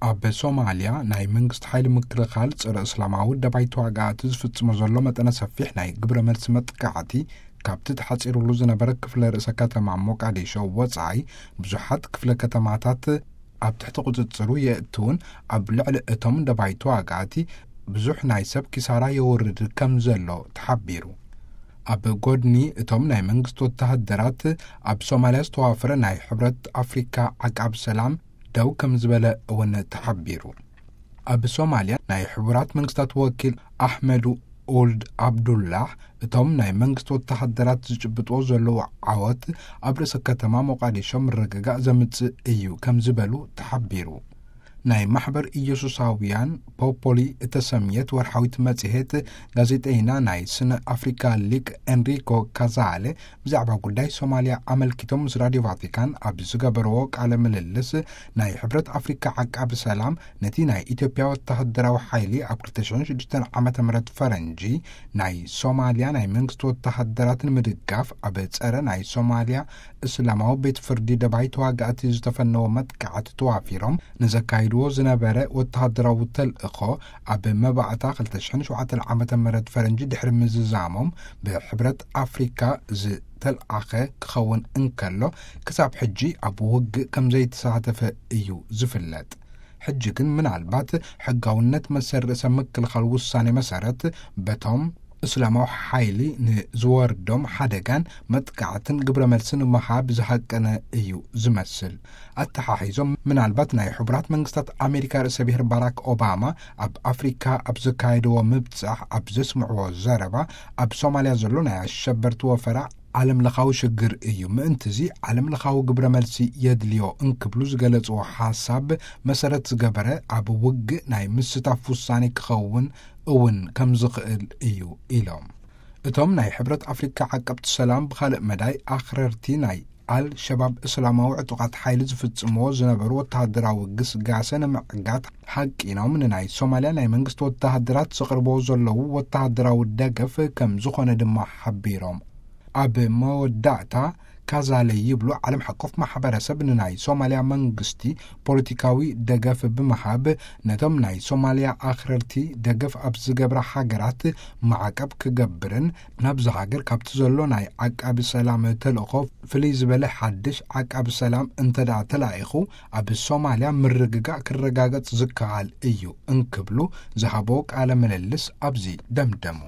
ኣብ ሶማልያ ናይ መንግስቲ ሓይሊ ምክልኻል ጸረ እስላማዊ ደባይ ተዋጋእቲ ዝፍጽሞ ዘሎ መጠነ ሰፊሕ ናይ ግብረ መልሲ መጥቃዕቲ፣ ካብቲ ተሓጺሩሉ ዝነበረ ክፍለ ርእሰ ከተማ ሞቃዲሾ ወጻኢ ብዙሓት ክፍለ ከተማታት ኣብ ትሕቲ ቁጽጽሩ የእትውን፣ ኣብ ልዕሊ እቶም ደባይ ተዋጋእቲ ብዙሕ ናይ ሰብ ኪሳራ የወርድ ከም ዘሎ ተሓቢሩ። ኣብ ጎድኒ እቶም ናይ መንግስቲ ወተሃደራት ኣብ ሶማልያ ዝተዋፈረ ናይ ሕብረት ኣፍሪካ ዓቃብ ሰላም ደው ከም ዝበለ እውን ተሓቢሩ። ኣብ ሶማልያ ናይ ሕቡራት መንግስታት ወኪል ኣሕመዱ ኦልድ ኣብዱላህ፣ እቶም ናይ መንግስቲ ወተሃደራት ዝጭብጥዎ ዘለዉ ዓወት ኣብ ርእሰ ከተማ ሞቃዲሾ ምርግጋእ ዘምጽእ እዩ ከም ዝበሉ ተሓቢሩ። ናይ ማሕበር ኢየሱሳውያን ፖፖሊ እተሰምየት ወርሓዊት መጽሔት ጋዜጠይና ናይ ስነ ኣፍሪካ ሊቅ ኤንሪኮ ካዛሌ ብዛዕባ ጉዳይ ሶማልያ ኣመልኪቶም ምስ ራድዮ ቫቲካን ኣብ ዝገበርዎ ቃለ ምልልስ፣ ናይ ሕብረት ኣፍሪካ ዓቃቢ ሰላም ነቲ ናይ ኢትዮጵያ ወተሃደራዊ ሓይሊ ኣብ ክልተ ሽሕን ሽዱሽተን ዓመተ ምህረት ፈረንጂ ናይ ሶማልያ ናይ መንግስቲ ወተሃደራት ንምድጋፍ ኣብ ጸረ ናይ ሶማልያ እስላማዊ ቤት ፍርዲ ደባይ ተዋጋእቲ ዝተፈነወ መጥቃዕቲ ተዋፊሮም ንዘካይድዎ ዝነበረ ወተሃደራዊ ተልእኾ ኣብ መባእታ ክልተ ሽሕን ሸውዓተን ዓመተ ምህረት ፈረንጂ ድሕሪ ምዝዛሞም ብሕብረት ኣፍሪካ ዝተልኣኸ ክኸውን እንከሎ፣ ክሳብ ሕጂ ኣብ ውግእ ከም ዘይተሳተፈ እዩ ዝፍለጥ። ሕጂ ግን ምናልባት ሕጋውነት መሰል ርእሰ ምክልኻል ውሳኔ መሰረት በቶም እስላማዊ ሓይሊ ንዝወርዶም ሓደጋን መጥቃዕትን ግብረ መልስን ምሃብ ዝሃቀነ እዩ ዝመስል። ኣተሓሒዞም ምናልባት ናይ ሕቡራት መንግስታት ኣሜሪካ ርእሰ ብሔር ባራክ ኦባማ ኣብ ኣፍሪካ ኣብ ዘካየድዎ ምብጻሕ ኣብ ዘስምዕዎ ዘረባ፣ ኣብ ሶማልያ ዘሎ ናይ ኣሸበርቲ ወፈራ ዓለም ለኻዊ ሽግር እዩ፣ ምእንትዚ ዓለም ለኻዊ ግብረ መልሲ የድልዮ እንክብሉ ዝገለጽዎ ሓሳብ መሰረት ዝገበረ ኣብ ውግእ ናይ ምስታፍ ውሳኔ ክኸውን እውን ከም ዝኽእል እዩ ኢሎም። እቶም ናይ ሕብረት ኣፍሪካ ዓቀብቲ ሰላም ብኻልእ መዳይ ኣኽረርቲ ናይ ኣል ሸባብ እስላማዊ ዕጡቓት ሓይሊ ዝፍጽምዎ ዝነበሩ ወተሃደራዊ ግስጋሰ ንምዕጋት ሓቂኖም ንናይ ሶማልያ ናይ መንግስቲ ወተሃደራት ዘቕርብዎ ዘለዉ ወተሃደራዊ ደገፍ ከም ዝኾነ ድማ ሓቢሮም። ኣብ መወዳእታ ካዛለ ይብሉ፣ ዓለም ሓቆፍ ማሕበረሰብ ንናይ ሶማልያ መንግስቲ ፖለቲካዊ ደገፍ ብምሃብ ነቶም ናይ ሶማልያ ኣኽረርቲ ደገፍ ኣብ ዝገብራ ሃገራት ማዕቀብ ክገብርን ናብዚ ሃገር ካብቲ ዘሎ ናይ ዓቃቢ ሰላም ተልእኾ ፍልይ ዝበለ ሓድሽ ዓቃቢ ሰላም እንተ ደኣ ተላኢኹ ኣብ ሶማልያ ምርግጋእ ክረጋገጽ ዝከኣል እዩ እንክብሉ ዝሃቦ ቃለ ምልልስ ኣብዚ ደምደሙ።